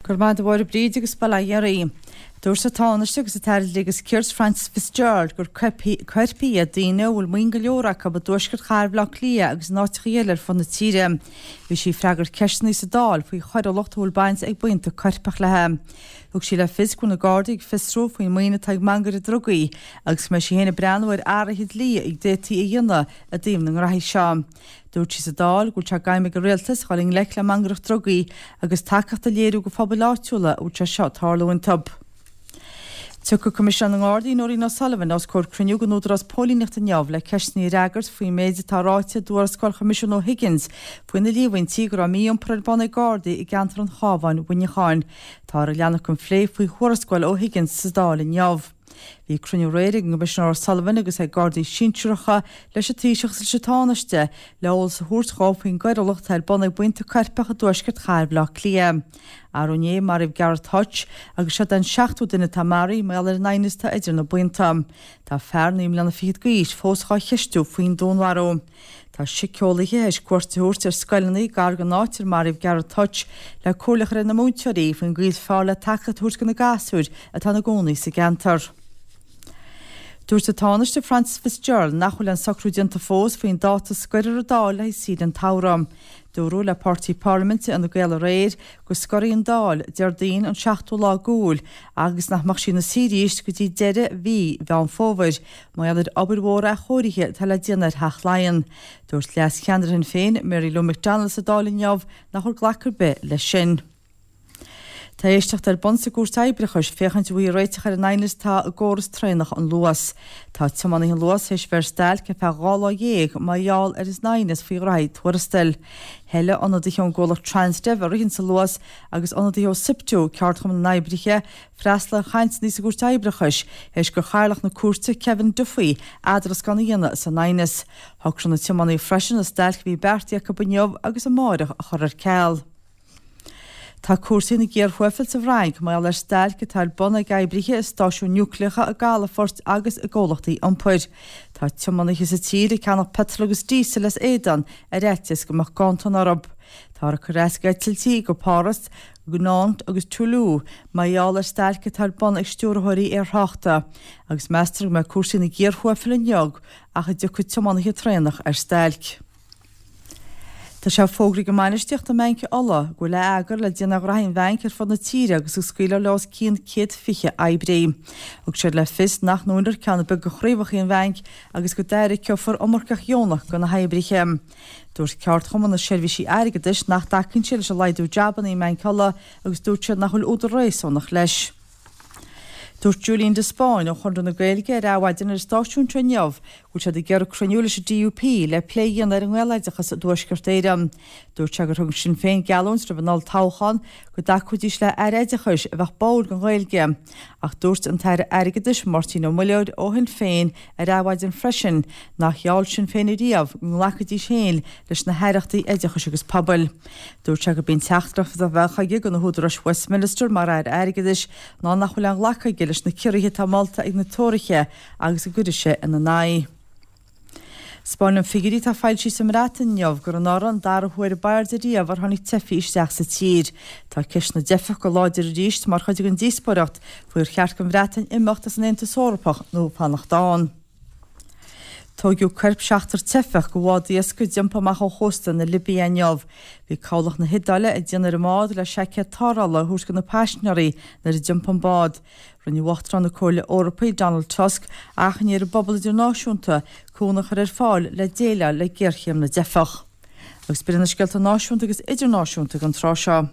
Go raibh maith agat a Mháire Bríd agus bail ó Dhia oraibh. Dúirt an Tánaiste agus an tAire Dlí agus Cirt Frances Fitzgerald gur coirpigh iad daoine a bhfuil maoin go leor acu i dtuaisceart chathair Bhaile Átha Cliath agus in áiteacha eile ar fud na tíre. Bhí sí ag freagairt ceisteanna sa Dáil faoi choiriúlacht a bhfuil baint ag buíonta coirpeach léi. Thug sí le fios go bhfuil na Gardaí ag fiosrú faoin maoin atá ag mangairí drugaí agus go mbeidh sí féin ag breathnú ar athruithe dlí a d'fhéadfaí a dhéanamh i dtaobh na ngraithí seo. Dúirt sí sa Dáil go bhfuil sé d'aidhm ag an Rialtas dhul i ngleic le mangaireacht drugaí agus tacaíocht a léiriú go phobail áitiúla a bhfuil sé seo ag tarlú iontu. Tiocfaidh Coimisinéir na nGardaí Nóirín O'Sullivan os comhair cruinniú den Údarás Póilíneachta inniu le ceisteanna a fhreagairt faoin méid atá ráite i dtuarascáil Choimisiún O'Higgins faoi na líomhaintí go raibh mí-iompar ar bun ag Gardaí i gceantar an Chabháin, Mhuineacháin. Táthar ag leanacht den phlé faoi thuarascáil O'Higgins sa Dáil inniu. Bhí cruinniú aréir ag an gCoimisinéir O'Sullivan agus ag Gardaí sinsearacha leis an Taoiseach agus leis an Tánaiste le eolas a thabhairt dhóibh faoin gcoiriúlacht atá ar bun ag buíonta coirpeach i dtuaisceart chathair Bhaile Átha Cliath. Arú inné maraíodh Gareth Hutch agus seo é an seachtú duine atá maraithe mar gheall ar an aighneas atá idir na buíonta. Tá fear 9 mbliana fichead d'aois fós dhá cheistiú faoin dúnmharú. Tá síceolaithe théis cuairt a thabhairt ar scoileanna gar don áit ar maraíodh Gareth Hutch le comhairle a chur ar na múinteoirí faoin gcaoi is fearr le tacaíocht a thabhairt do na gasúir atá ina gcónaí sa gceantar. Dúirt an Tánaiste Frances Fitzgerald nach bhfuil aon socrú déanta fós faoin dáta a scoirfear an Dáil le haghaidh saoire an tsamhraidh. Dúradh le páirtí parlaiminte Fhine Gael aréir go scorfaidh an Dáil Déardaoin an 7ú lá d'Iúil agus nach mbeadh sí ina suí arís go dtí deireadh mhí Mheán Fómhair mar gheall ar obair mhór athchóirithe atá le déanamh ar Theach Laighean. Dúirt leas-cheannaire Shinn Féin, Mary Lou McDonald sa Dáil inniu nach bhfuil glacadh ar bith leis sin. Tá éisteacht ar bun sa gCúirt Oibreachais féachaint an bhfaighfí réiteach ar an aighneas atá i gcóras traenach an Luas. Tá tiománaithe an Luas théis bheith ar stailc ar feadh 12 lá mar gheall ar an aighneas faoi ghraithí tuarastail. Thoiligh ionadaithe ón gcomhlacht Transdev a ritheanns an Luas agus ionadaithe ó Siptu, ceardchumann na n-oibrithe, freastal ar chainteanna sa gCúirt Oibreachais théis do chathaoirleach na cúirte, Kevin Duffy, eadrascán a dhéanamh san aighneas. Shocraigh na tiománaithe freisin an stailc a bhí beartaithe acu inniu agus amáireach a chur ar ceal. Tá cúrsaí ina gcíor thuathail sa bhFrainc mar gheall ar stailc atá ar bun ag oibrithe i stáisiúin núicléacha i gcalafoirt agus i gcomhlachtaí iompair. Tá tiománaithe sa tír ag ceannach petrol agus díosal as éadan ar fhaitíos go mbeadh ganntan orthu. Táthar ag cur as d'eitiltí go Páras, go Nantes agus Toulouse mar gheall ar stailc atá ar bun ag stiúrthóirí aerthráchta agus meastar go mbeidh cúrsaí ina gcíor thuathail inniu ach a dtiocfaidh tiománaithe traenach ar stailc. Tá sé fógraithe ag an mbainistíocht i mBanc Uladh go bhfuil atheagar le déanamh ar ghraithí an bhainc ar fud na tíre agus go scaoilfear leo os cionn 120 oibrí. Thug siad le fios nach ndúnfar ceann ar bith de chraobhacha an bhainc agus go dtáirgfear iomarcach dheonach do na hoibrithe. Dúirt Ceardchumann na Seirbhísí Airgeadais nach dtacaíonn siad leis an laghdú jabanna i mBanc Uladh agus dúirt siad nach bhfuil údar réasúnach leis. Dúirt Julian de Spáinn ó Chonradh na Gaeilge ar Adhmhaidin ar an stáisiún seo inniu go bhfuil siad ag iarraidh cruinniú leis an DUP le plé a dhéanamh ar an nGaeloideachas i dTuaisceart Éireann. Dúirt sé gur thug Sinn Féin geallúint roimh an olltoghchán go dtacóidís le Aire Oideachais a bheadh báúil don Ghaeilge. Ach dúirt an tAire Airgeadais Máirtín Ó Muilleoir ó Shinn Féin ar Adhmhaidin freisin nár gheall Sinn Féin ariamh go nglacfaidís féin leis na haireachtaí oideachais agus pobail. Dúirt sé gurb í an teachtaireacht a bheadh aige do na húdaráis Westminster mar Aire Airgeadais ná nach bhfuil aon ghlacadh aige leis na ciorruithe atá molta ag na Tóraithe agus go gcuirfidh sé ina n-aghaidh. 'Spáineann figiúirí atá foilsithe sa mBreatain inniu gur anuraidh an dara huair ab airde riamh ar tháinig teifigh isteach sa tír. Tá ceist na dteifeach go láidir arís mar chuid den díospóireacht faoi ar cheart don Bhreatain imeacht as an Aontas Eorpach nó fanacht ann. Tóigeadh coirp seachtar teifeach de bhád iascaigh a d'iompaigh amach ó chósta na Libia inniu. Bhí cabhlach na hIodáile ag déanamh ar an mbád le seaicéad tarrthála a thabhairt do na paisinéirí nuair a d'iompaigh an bád. Rinne Uachtarán na Comhairle Eorpaí, Donald Tusk, achainí ar an bpobal idirnáisiúnta cúnamh a chur ar fáil le déileáil le géarchéim na dteifeach. Agus b'in iad na scéalta náisiúnta agus idirnáisiúnta don tráth seo.